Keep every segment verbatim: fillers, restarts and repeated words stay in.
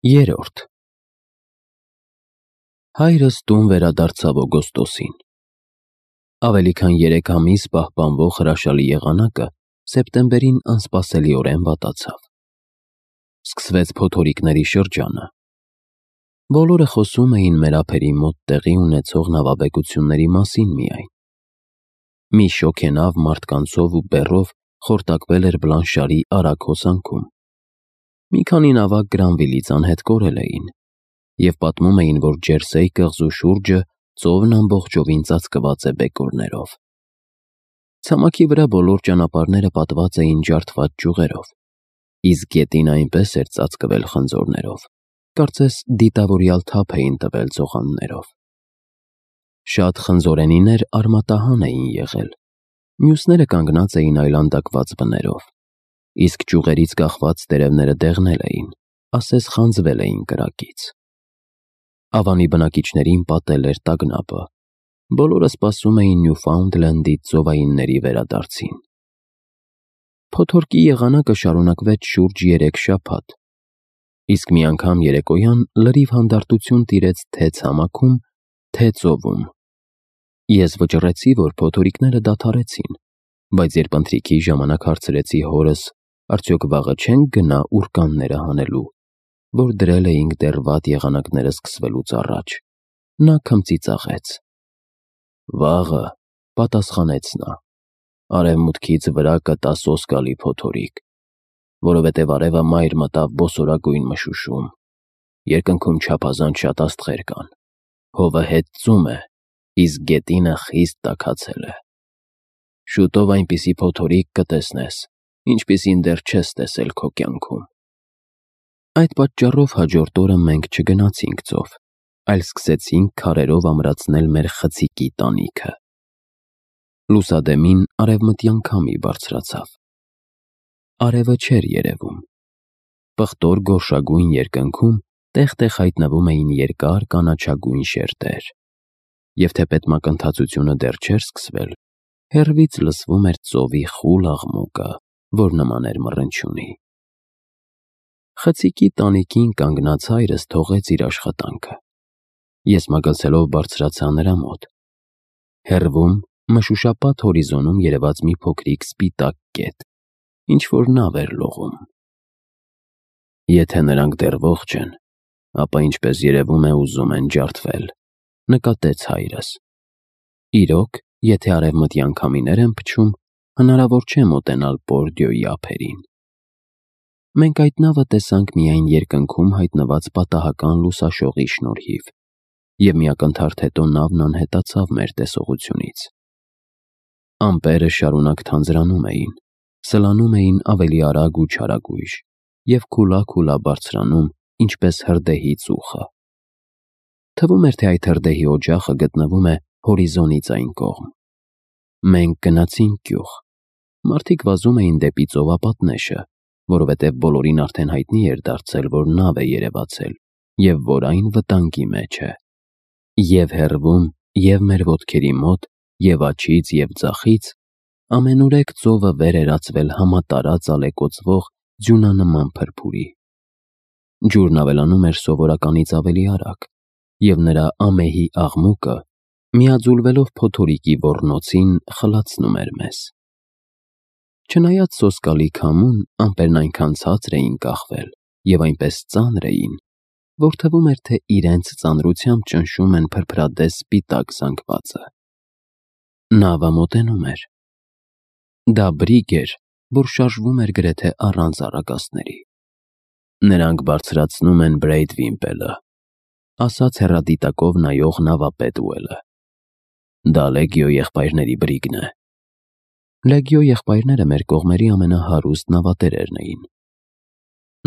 Երորդ Հայրս տուն վերադարձավ օգոստոսին։ Ավելի քան երեք ամիս պահպանվող հրաշալի եղանակը սեպտեմբերին անսպասելիորեն վատացավ։ Սկսվեց փոթորիկների շրջանը։ Բոլորը խոսում էին մեր ափերի մոտ տեղի ունեցող նավաբեկությունների մասին միայն։ Մի շոգենավ մարդկանցով ու բեռով խորտակվել էր Բլանշարի արագ հոսանքում։ Մի քանի նավակ Գրանվիլից անհետ կորել էին, և պատմում էին, որ Ջերսեի կղզու շուրջը ծովն ամբողջովին ծածկված է բեկորներով։ Ցամաքի վրա բոլոր ճանապարհները պատված էին ջարդված ճյուղերով, իսկ գետին այնպես էր ծածկվել խնձորներով, կարծես դիտավորյալ թափ էին տվել ծողաններով։ Շատ խնձորենիներ արմատահան էին եղել, մյուսները կանգնած էին այլանդակված բներով, իսկ ճյուղերից կախված տերևները դեղնել էին, ասես խանձվել էին կրակից։ Ավանի բնակիչներին պատել էր տագնապը, բոլորը սպասում էին Նյուֆաունդլենդից ծովայինների վերադարձին։ Փոթորկի եղանակը շարունակվեց շուրջ երեք շաբաթ, իսկ մի անգամ երեկոյան լրիվ հանդարտություն տիրեց թե ցամաքում, թե ծովում։ Ես վճռեցի, որ փոթորիկները դադարեցին, բայց երբ ընթրիքի ժամանակ հարցրեցի հորս, արդյոք վաղը չենք գնա ուրկանները հանելու, որ դրել էինք դեռ վատ եղանակները սկսվելուց առաջ, նա քմծիծաղեց։ Վաղը, պատասխանեց նա, արևմուտքից վրա կտա սոսկալի փոթորիկ, որովհետև արևը մայր մտավ բոսորագույն մշուշում, երկնքում չափազանց շատ աստղեր կան, հովը հեծում է, իսկ գետինը խիստ տաքացել է։ Շուտով այնպիսի փոթորիկ կտեսնես, ինչպիսին դեռ չես տեսել քո կյանքում։ Այդ պատճառով հաջորդ օրը մենք չգնացինք ծով, այլ սկսեցինք քարերով ամրացնել մեր խցիկի տանիքը։ Լուսադեմին արևմտյան քամի բարձրացավ։ Արևը չէր երևում։ Պղտոր գորշագույն երկնքում տեղ-տեղ հայտնվում էին երկար կանաչագույն շերտեր, և թեպետ մակընթացությունը դեռ չէր սկսվել, հեռվից լսվում էր ծովի խուլ աղմուկը, որ նման էր մռնչյունի։ Խցիկի տանիքին կանգնած հայրս թողեց իր աշխատանքը։ Ես մագլցելով բարձրացա նրա մոտ։ Հեռվում, մշուշապատ հորիզոնում երևաց մի փոքրիկ սպիտակ կետ, ինչ-որ նավ էր լողում։ Եթե նրանք դեռ ողջ են, ապա ինչպես երևում է ուզում են ջարդվել, նկատեց հայրս։ Իրոք, եթե արևմտյան քամիներ են փչում, հնարավոր չէ մոտենալ Պորդիոյի ափերին։ Մենք այդ նավը տեսանք միայն երկնքում հայտնված պատահական լուսաշողի շնորհիվ, և մի ակնթարթ հետո նավն անհետացավ մեր տեսողությունից։ Ամպերը շարունակ թանձրանում էին, սլանում էին ավելի արագ ու չարագույժ և քուլա-քուլա բարձրանում, ինչպես հրդեհի ծուխը։ Թվում էր, թե այդ հրդեհի օջախը գտնվում է հորիզոնից այն կողմ։ Մենք գնացինք գյուղ։ Մարդիկ վազում էին դեպի ծովապատնեշը, որովհետև բոլորին արդեն հայտնի էր դարձել, որ նավ է երևացել, և որ այն վտանգի մեջ է։ Եվ հեռվում, և մեր ոտքերի մոտ, և աջից, և ձախից ամենուրեք ծովը վեր էր ածվել համատարած ալեկոծվող ձյունանման փրփուրի։ Ջուրն ավելանում էր սովորականից ավելի արագ, և նրա ամեհի աղմուկը, միաձուլվելով փոթորիկի ոռնոցին, խլացնում էր մեզ։ Չնայած սոսկալի քամուն, ամպերն այնքան ցածր էին կախվել և այնպես ծանր էին, որ թվում էր, թե իրենց ծանրությամբ ճնշում են փրփրադես սպիտակ զանգվածը։ Նավը մոտենում էր։ Դա բրիգ էր, որ շարժվում էր գրեթե առանց առագաստների։ Նրանք բարձրացնում են Բրեյդվիմպելը, ասաց հեռադիտակով նայող նավապետ Ուելը։ Դա Լեգիո եղբայրների բրիգն է։ Լեգիո եղբայրները մեր կողմերի ամենահարուստ նավատերերն էին։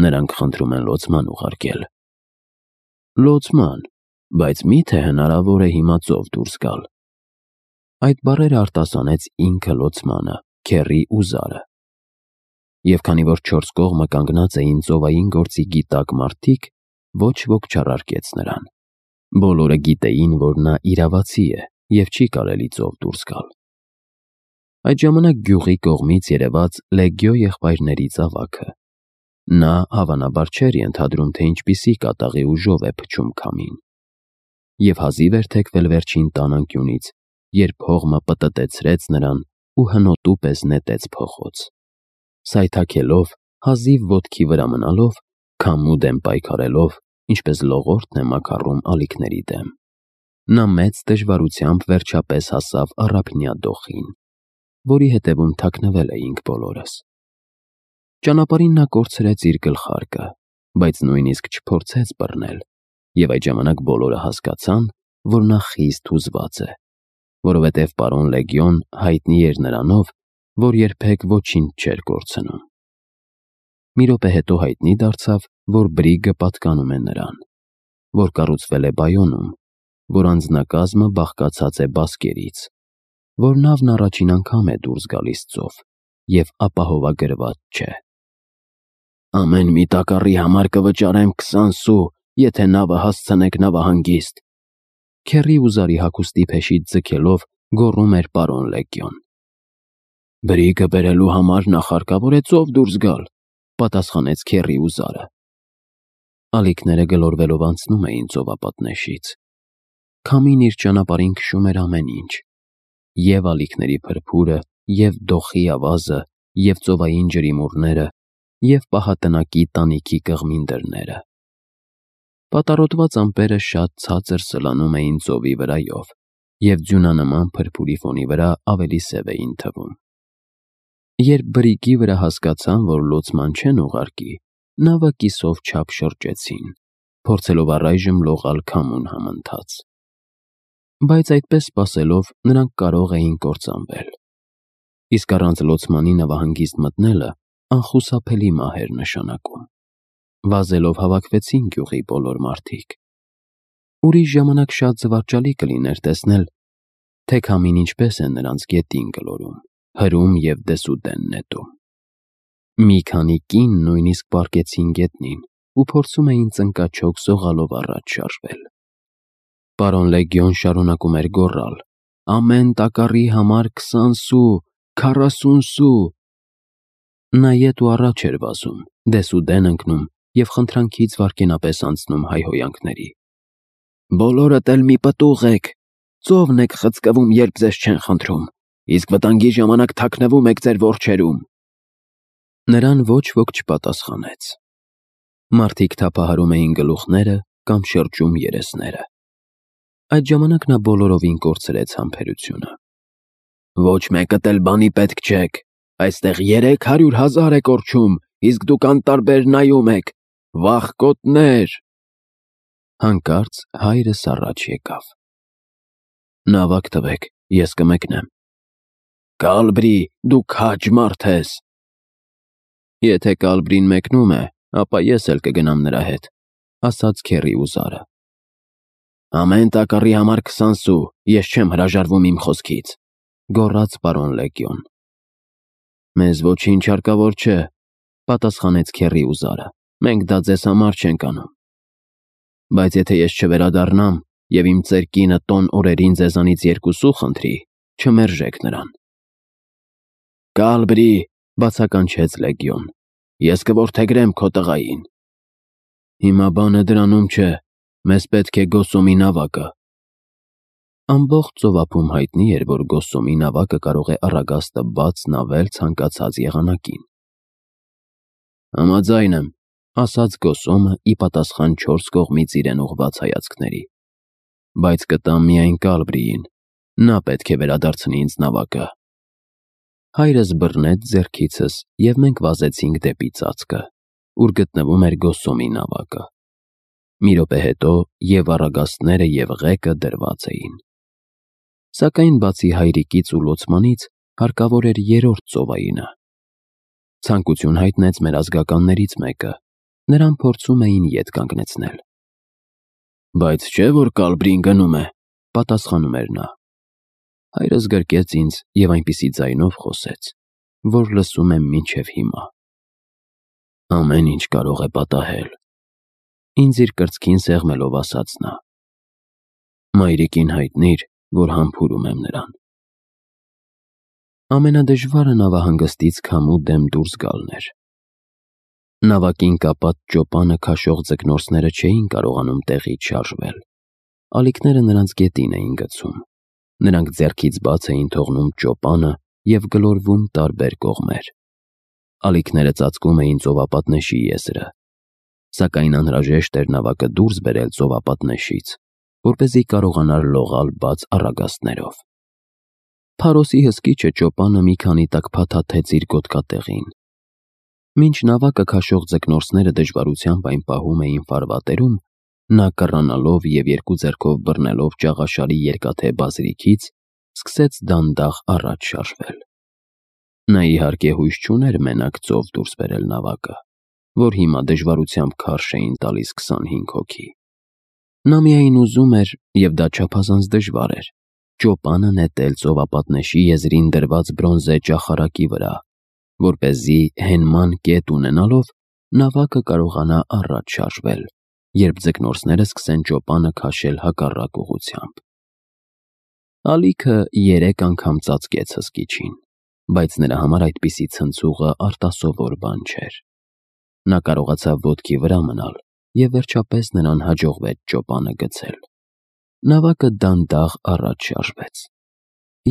Նրանք խնդրում են լոցման ուղարկել։ Լոցման, բայց մի՞թե հնարավոր է հիմա ծով դուրս գալ։ Այդ բառերը արտասանեց ինքը լոցմանը, Քեռի Ուզարը։ Եվ քանի որ չորս կողմը կանգնած էին ծովային գործի գիտակ մարդիկ, ոչ ոք չառարկեց նրան։ Բոլորը գիտեին, որ նա իրավացի է և չի կարելի ծով դուրս գալ։ Այդ ժամանակ գյուղի կողմից երևաց Լեգիո եղբայրների ծավաքը։ Նա հավանաբար չէր ենթադրում, թե ինչպիսի կատաղի ուժով է փչում քամին, և հազիվ էր թեքվել վերջին տանանկյունից, երբ հողմը պտտեցրեց նրան ու հնոտու պես նետեց փողոց։ Սայթաքելով, հազիվ ոտքի վրա մնալով, քամու դեմ պայքարելով, ինչպես լողորդն է մաքառում ալիքների դեմ, նա մեծ դժվարությամբ վերջապես հասավ առափնյա դոխին, որի հետևում թաքնվել էինք բոլորս։ Ճանապարհին նա կորցրեց իր գլխարկը, բայց նույնիսկ չփորձեց բռնել, և այդ ժամանակ բոլորը հասկացան, որ նա խիստ հուզված է, որովհետև պարոն Լեգիոն հայտնի էր նրանով, որ երբեք ոչինչ չէր կորցնում։ Մի րոպե հետո հայտնի դարձավ, որ բրիգը պատկանում է նրան, որ կառուցվել է Բայոնում, որ անձնակազմը բաղկացած է բասկերից, որ նավն առաջին անգամ է դուրս գալիս ծով և ապահովագրված չէ։ «Ամեն մի տակառի համար կվճարեմ քսան սու, եթե նավը հասցնեք նավահանգիստ», քեռի ու զարի հագուստի փեշից ձգելով գոռում էր պարոն Լեգիոն։ «Բրիգը բերելու համար նախ հարկավոր է ծով դուրս գալ», պատասխանեց քեռի ու զարը։ Ալիքները գլորվելով անցնում էին ծովապատնեշից։ Քամին իր ճանապարհին քշում էր ամեն ինչ՝ և ալիքների փրփուրը, և դոխի ավազը, և ծովային ջրիմուռները, և պահատնակի տանիքի կղմին դռները։ Պատառոտված ամպերը շատ ցածր սլանում էին ծովի վրայով և ձյունանման փրփուրի ֆոնի վրա ավելի սև էին թվում։ Երբ բրիգի վրա հասկացան, որ լոցման չեն ուղարկի, նավը կիսով չափ շրջեցին, փորձելով առայժմ լողալ քամուն համընթաց։ Բայց այդպես սպասելով նրանք կարող էին կործանվել, իսկ առանց լոցմանի նավահանգիստ մտնելը անխուսափելի մահ էր նշանակում։ Վազելով հավաքվեցին գյուղի բոլոր մարդիկ։ Ուրիշ ժամանակ շատ զվարճալի կլիներ տեսնել, թե քամին ինչպես է նրանց գետին գլորում, հրում և դեսուդեն նետում։ Մի քանի կին նույնիսկ պառկեցին գետնին ու փորձում էին ծնկաչոք սողալով առաջ շարժվել։ Պարոն Լեգիոն շարունակում էր գոռալ. «Ամեն տակառի համար քսան սու, քառասուն սու»։ Նա ետ ու առաջ էր վազում, դեսուդեն ընկնում և խնդրանքից վայրկենապես անցնում հայհոյանքների։ «Բոլորդ էլ մի պտուղ եք, ծովն եք խցկվում, երբ ձեզ չեն խնդրում, իսկ վտանգի ժամանակ թաքնվում եք ձեր որջերում»։ Նրան ոչ ոք չպատասխանեց։ Մարդիկ թափահարում էին գլուխները կամ շրջում երեսները։ Այդ ժամանակ նա բոլորովին կորցրեց համբերությունը։ «Ոչ մեկդ էլ բանի պետք չեք, այստեղ երեք հարյուր հազար է կորչում, իսկ դուք անտարբեր նայում եք, վախկոտներ»։ Հանկարծ հայրս առաջ եկավ։ «Նավակ տվեք, ես կմեկնեմ»։ «Կալբրի, դու քաջ մարդ ես»։ «Եթե Կալբրին մեկնում է, ապա ես էլ կգնամ նրա հետ», ասաց քեռի ու զարը։ «Ամեն տակառի համար քսան սու, ես չեմ հրաժարվում իմ խոսքից», գոռաց պարոն Լեգիոն։ «Մեզ ոչինչ հարկավոր չէ», պատասխանեց քեռի ու զարը, «մենք դա ձեզ համար չենք անում։ Բայց եթե ես չվերադառնամ և իմ ծեր կինը տոն օրերին ձեզանից երկու սու խնդրի, չմերժեք նրան»։ «Կալբրի», բացականչեց Լեգիոն, «ես կորդեգրեմ քո տղային»։ «Հիմա բանը դրանում չէ, մեզ պետք է Գոսոմի նավակը»։ Ամբողջ ծովափում հայտնի էր, որ Գոսոմի նավակը կարող է առագաստը բաց նավել ցանկացած եղանակին։ «Համաձայն եմ», ասաց Գոսոմը ի պատասխան չորս կողմից իրեն ուղղված հայացքների, «բայց կտամ միայն Կալբրիին, նա պետք է վերադարձնի ինձ նավակը»։ Հայրս բռնեց ձեռքիցս, և մենք վազեցինք դեպի ծածկը, ուր գտնվում էր Գոսոմի նավակը։ Մի րոպե հետո և առագաստները, և ղեկը դրված էին։ Սակայն բացի հայրիկից ու լոցմանից հարկավոր էր երրորդ ծովայինը։ Ցանկություն հայտնեց մեր ազգականներից մեկը, նրան փորձում էին ետ կանգնեցնել։ «Բայց չէ՞ որ Կալբրին գնում է», պատասխանում էր նա։ Հայրս գրկեց ինձ և այնպիսի ձայնով խոսեց, որ լսում եմ մինչև հիմա։ «Ամեն ինչ կարող է պատահել», ինձ իր կրծքին սեղմելով ասաց նա։ «Մայրիկին հայտնիր, որ համբուրում եմ նրան»։ Ամենադժվարը նավահանգստից քամու դեմ դուրս գալն էր։ Նավակին կապած ճոպանը քաշող ձկնորսները չէին կարողանում տեղից շարժվել։ Ալիքները նրանց գետին էին գցում։ Նրանք ձեռքից բաց էին թողնում ճոպանը և գլորվում տարբեր կողմեր։ Ալիքները ծածկում էին ծովապատնեշի եզրը, սակայն անհրաժեշտ էր նավակը դուրս բերել ծովապատնեշից, որպեսզի կարողանար լողալ բաց առագաստներով։ Փարոսի հսկիչը ճոպանը մի քանի տակ փաթաթեց իր գոտկատեղին։ Մինչ նավակը քաշող ձկնորսները դժվարությամբ այն պահում էին ֆարվատերում, նա կռանալով և երկու ձեռքով բռնելով ճաղաշարի երկաթե բազրիքից, սկսեց դանդաղ առաջ շարժվել։ Նա իհարկե հույս չուներ մենակ ծով դուրս բերել նավակը, որ հիմա դժվարությամբ քարշ էին տալիս քսանհինգ հոգի։ Նա միայն ուզում էր, և դա չափազանց դժվար էր, ճոպանը նետել ծովապատնեշի եզրին դրված բրոնզե ճախարակի վրա, որպեսզի հենման կետ ունենալով նավակը կարողանա առաջ շարժվել, երբ ձկնորսները սկսեն ճոպանը քաշել հակառակ ուղղությամբ։ Ալիքը երեք անգամ ծածկեց հսկիչին, բայց նրա համար այդպիսի ցնցուղը արտասովոր բան չէր։ Նա կարողացավ ոտքի վրա մնալ, և վերջապես նրան հաջողվեց ճոպանը գցել։ Նավակը դանդաղ առաջ շարժվեց։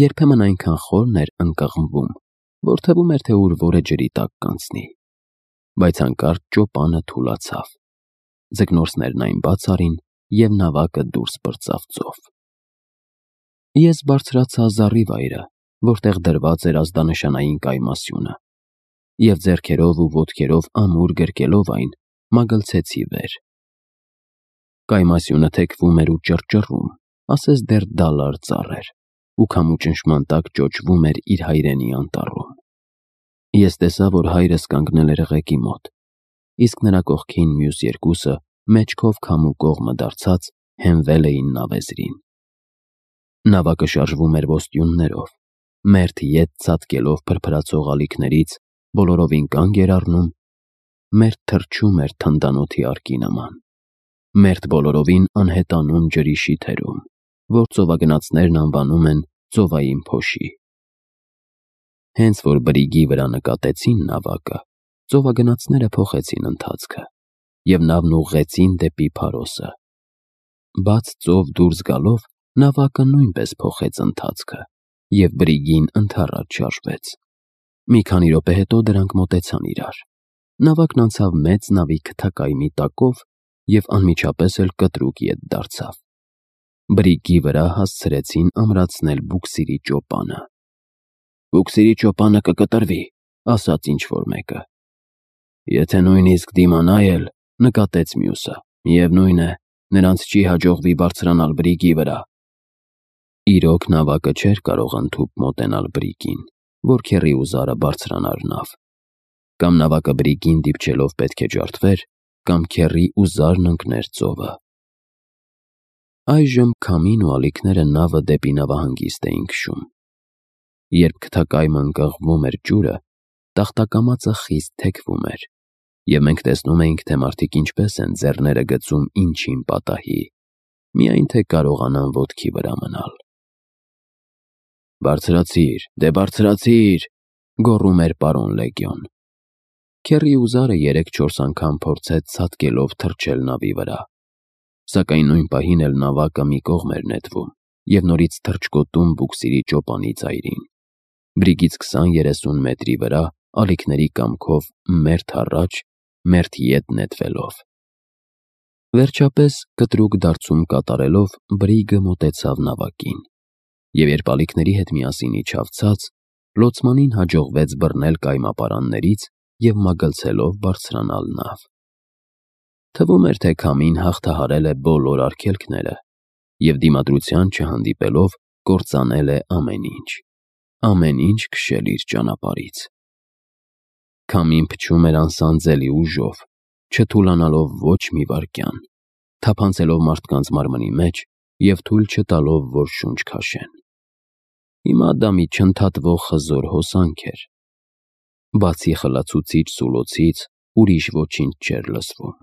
Երբեմն այնքան խորն էր ընկղմվում, որ թվում էր, թե ուր որը ջրի տակ կանցնի։ Բայց հանկարծ ճոպանը թուլացավ։ Ձկնորսներն այն բաց արին, և նավակը դուրս պրծավ ծով։ Ես բարձրացա զառիվայրը, որտեղ դրված էր ազդանշանային կայմասյունը, և ձեռքերով ու ոտքերով ամուր գրկելով այն, մագլցեցի վեր։ Կայմասյունը թեքվում էր ու ճռճռում, ասես դեռ դալար ծառ էր, ու քամու ճնշման տակ ճոճվում էր իր հայրենի անտառում։ Ես տեսա, որ հայրս կանգնել էր ղեկի մոտ, իսկ նրա կողքին մյուս երկուսը, մեջքով քամու կողմը դարձած, հենվել էին նավեզրին։ Նավակը շարժվում էր ոստյուններով, մերթ ետ ցատկելով փրփրացող ալիքներից, բոլորովին կանգ էր առնում, մերթ թռչում էր թնդանոթի արկի նման, մերթ բոլորովին անհետանում ջրի շիթերում, որ ծովագնացներն անվանում են ծովային փոշի։ Հենց որ բրիգի վրա նկատեցին նավակը, ծովագնացները փոխեցին ընթացքը և նավն ուղղեցին դեպի Փարոսը։ Բաց ծով դուրս գալով, նավակը նույնպես փոխեց ընթացքը, և բրիգին ընդառաջ շարժվեց։ Մի քանի րոպե հետո դրանք մոտեցան իրար։ Նավակն անցավ մեծ նավի քթակայմի տակով և անմիջապես էլ կտրուկ ետ դարձավ։ Բրիգի վրա հասցրեցին ամրացնել բուքսիրի ճոպանը։ «Բուքսիրի ճոպանը կկտրվի», ասաց ինչ-որ մեկը։ «Եթե նույնիսկ դիմանա էլ», նկատեց մյուսը, «միևնույն է, նրանց չի հաջողվի բարձրանալ բրիգի վրա»։ Իրոք նավակը չէր կարող ընդհուպ մոտենալ բրիգին, որ քեռի ու զարը բարձրանար նավ։ Կամ նավակը բրիգին դիպչելով պետք է ջարդվեր, կամ քեռի ու զարն ընկներ ծովը։ Այժմ քամին ու ալիքները նավը դեպի նավահանգիստ էին քշում։ Երբ քթակայմը ընկղմվում էր ջուրը, տախտակամածը խիստ թեքվում էր, և մենք տեսնում էինք, թե մարդիկ ինչպես են ձեռները գցում ինչին պատահի, միայն թե կարողանան ոտքի վրա մնալ։ «Բարձրացիր, դե բարձրացիր», գոռում էր պարոն Լեգիոն։ Քեռի ու զարը երեք-չորս անգամ փորձեց ցատկելով թռչել նավի վրա, սակայն նույն պահին էլ նավակը մի կողմ էր նետվում և նորից թռչկոտում բուքսիրի ճոպանի ծայրին, բրիգից քսան-երեսուն մետրի վրա, ալիքների կամքով մերթ առաջ, մերթ ետ նետվելով։ Վերջապես, կտրուկ դարձում կատարելով, բրիգը մոտեցավ նավակին, և երբ ալիքների հետ միասին իջավ ցած, լոցմանին հաջողվեց բռնել կայմապարաններից և մագլցելով բարձրանալ նավ։ Թվում էր, թե քամին հաղթահարել է բոլոր արգելքները և դիմադրության չհանդիպելով կործանել է ամեն ինչ, ամեն ինչ քշել իր ճանապարհից։ Քամին փչում էր անսանձելի ուժով, չթուլանալով ոչ մի վայրկյան, թափանցելով մարդկանց մարմնի մեջ և թույլ չտալով, որ շունչ քաշեն։ Հիմա դա մի չընդհատվող խզոր հոսանք էր։ Բացի խլացուցիչ սուլոցից ուրիշ ոչինչ չէր լսվում։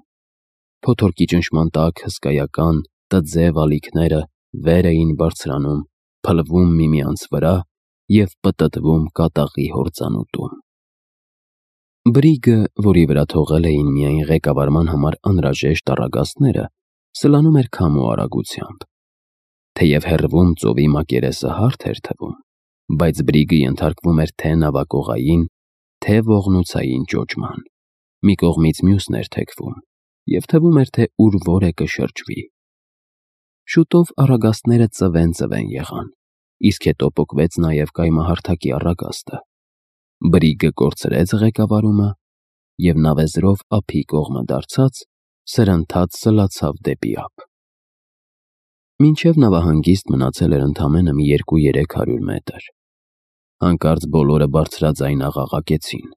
Փոթորկի ճնշման տակ հսկայական, տձև ալիքները վեր էին բարձրանում, փլվում միմյանց վրա և պտտվում կատաղի հորձանուտում։ Բրիգը, որի վրա թողել էին միայն ղեկավարման համար անհրաժեշտ առագաստները, սլանում էր քամու արագությամբ։ Թեև հեռվում ծովի մակերեսը հարթ էր թվում, բայց բրիգը ենթարկվում էր թե նավակողային, թե ողնուցային ճոճման։ Մի կողմից մյուսն էր թեքվում, և թվում էր, թե ուր որ է կշրջվի։ Շուտով առագաստները ծվեն-ծվեն եղան, իսկ հետո պոկվեց նաև կայմահարթակի առագաստը։ Բրիգը կորցրեց ղեկավարումը և նավեզրով ափի կողմը դարձած, սրընթաց սլացավ դեպի ափ։ Մինչև նավահանգիստ մնացել էր ընդամենը մի երկու-երեք հարյուր մետր։ Հանկարծ բոլորը բարձրաձայն աղաղակեցին։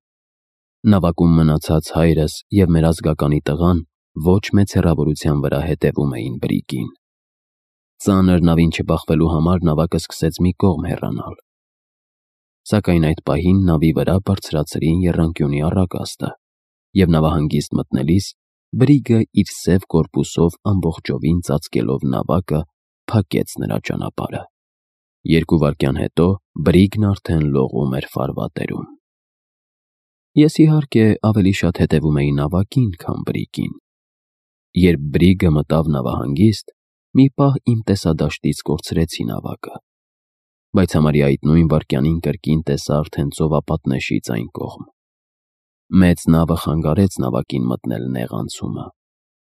Նավակում մնացած հայրս և մեր ազգականի տղան ոչ մեծ հեռավորության վրա հետևում էին բրիգին։ Ծանր նավին չբախվելու համար նավակը սկսեց մի կողմ հեռանալ։ Սակայն այդ պահին նավի վրա բարձրացրին եռանկյունի առագաստը, և նավահանգիստ մտնելիս բրիգը իր սև կորպուսով ամբողջովին ծածկելով նավակը փակեց նրա ճանապարհը։ Երկու վայրկյան հետո բրիգն արդեն լողում էր ֆարվատերում։ Ես, իհարկե, ավելի շատ հետևում էի նավակին, քան բրիգին։ Երբ բրիգը մտավ նավահանգիստ, մի պահ իմ տեսադաշտից կորցրեցի նավակը, բայց համարյա այդ նույն վայրկյանին կրկին տեսա արդեն ծովապատնեշից այն կողմ։ Մեծ նավը խանգարեց նավակին մտնել նեղ անցումը,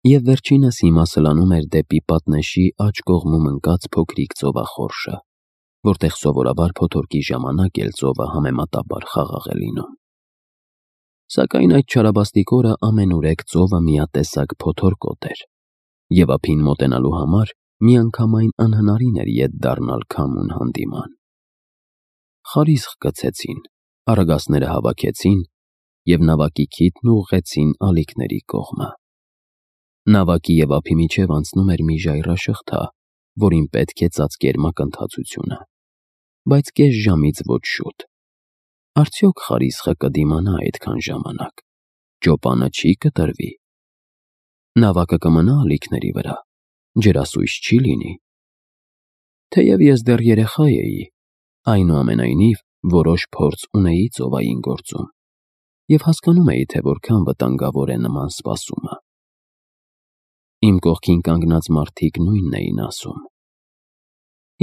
և վերջինս հիմա սլանում էր դեպի պատնեշի աջ կողմում ընկած փոքրիկ ծովախորշը, որտեղ սովորաբար փոթորկի ժամանակ էլ ծովը համեմատաբար խաղաղ է լինում։ Սակայն այդ չարաբաստիկ օրը ամենուրեք ծովը միատեսակ փոթորկոտ էր, և ափին մոտենալու համար միանգամայն անհնարին էր ետ դառնալ քամուն հանդիման։ Խարիսխ գցեցին, առագաստները հավաքեցին և նավակի քիթն ուղղեցին ալիքների կողմը։ Նավակի և ափի միջև անցնում էր մի ժայռաշղթա, որին պետք է ծածկեր մակընթացությունը, բայց կես ժամից ոչ շուտ։ Արդյոք խարիսխը կդիմանա այդքան ժամանակ, ճոպանը չի կտրվի։ Նավակը կմնա ալիքների վրա, ջրասույզ չի լինի։ Թեև ես դեռ երեխա էի, այնուամենայնիվ որոշ փորձ ունեի ծովային գործում և հասկանում էի, թե որքան վտանգավոր է նման սպասումը։ Իմ կողքին կանգնած մարդիկ նույնն էին ասում։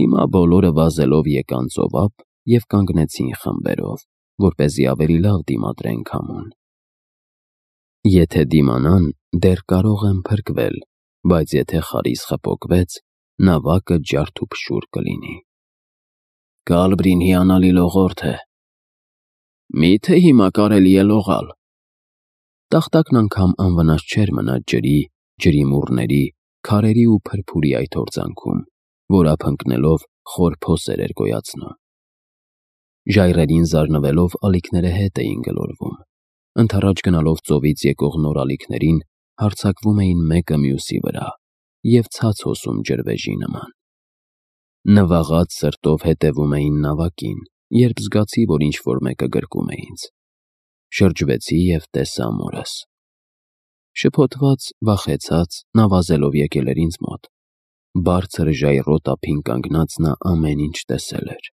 Հիմա բոլորը վազելով եկան ծովափ և կանգնեցին խմբերով, որպեսզի ավելի լավ դիմադրեն քամուն։ Եթե դիմանան, դեռ կարող են փրկվել, բայց եթե խարիսխը պոկվեց, նավակը ջարդուփշուր կլինի։ Կալբրին հիանալի լողորդ է։ Մի՞թե հիմա կարելի է լողալ։ Տախտակն անգամ անվնաս չէր մնաց ջրի, ջրիմուռների, քարերի ու փրփուրի այդ հորձանքում, որ ափ ընկնելով խոր փոսեր էր գոյացնում։ Ժայռերին զարնվելով ալիքները հետ էին գլորվում, ընդառաջ գնալով ծովից եկող նոր ալիքներին հարձակվում էին մեկը մյուսի վրա և ցած հոսում ջրվեժի նման։ Նվաղած սրտով հետևում էին նավակին, երբ զգացի, որ ինչ-որ մեկը գրկում է ինձ։ Շրջվեցի և տեսա մորս։ Շփոթված, վախեցած, նա վազելով եկել էր ինձ մոտ։ Բարձր ժայռոտ ափին կանգնած նա ամեն ինչ տեսել էր։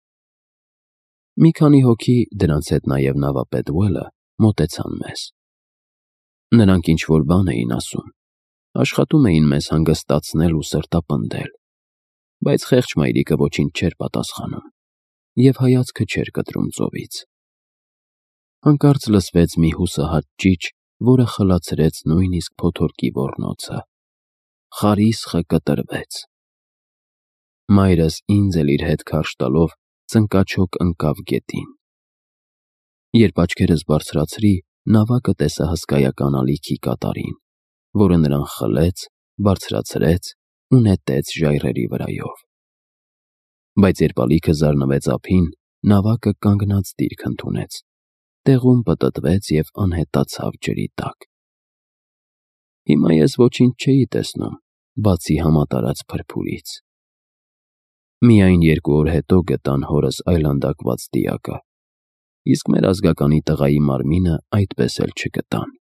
Մի քանի հոգի, դրանց հետ նաև նավապետ Ուելը, մոտեցան մեզ։ Նրանք ինչ-որ բան էին ասում, աշխատում էին մեզ հանգստացնել ու սրտապնդել, բայց խեղճ մայրիկը ոչինչ չէր պատասխանում և հայացքը չէր կտրում ծովից։ Հանկարծ լսվեց մի հուսահատ ճիչ, որը խլացրեց նույնիսկ փոթորկի ոռնոցը։ Խարիսխը կտրվեց։ Մայրս ինձ էլ իր հետ քարշ տալով ծնկաչոք ընկավ գետին։ Երբ աչքերս բարձրացրի, նավակը տեսա հսկայական ալիքի կատարին, որը նրան խլեց, բարձրացրեց ու նետեց ժայռերի վրայով։ Բայց երբ ալիքը զարնվեց ափին, նավակը կանգնած դիրք ընդունեց, տեղում պտտվեց և անհետացավ ջրի տակ։ Հիմա ես ոչինչ չէի տեսնում, բացի համատարած փրփուրից։ Միայն երկու օր հետո գտան հորս այլանդակված դիակը, իսկ մեր ազգականի տղայի մարմինը այդպես էլ չգտան։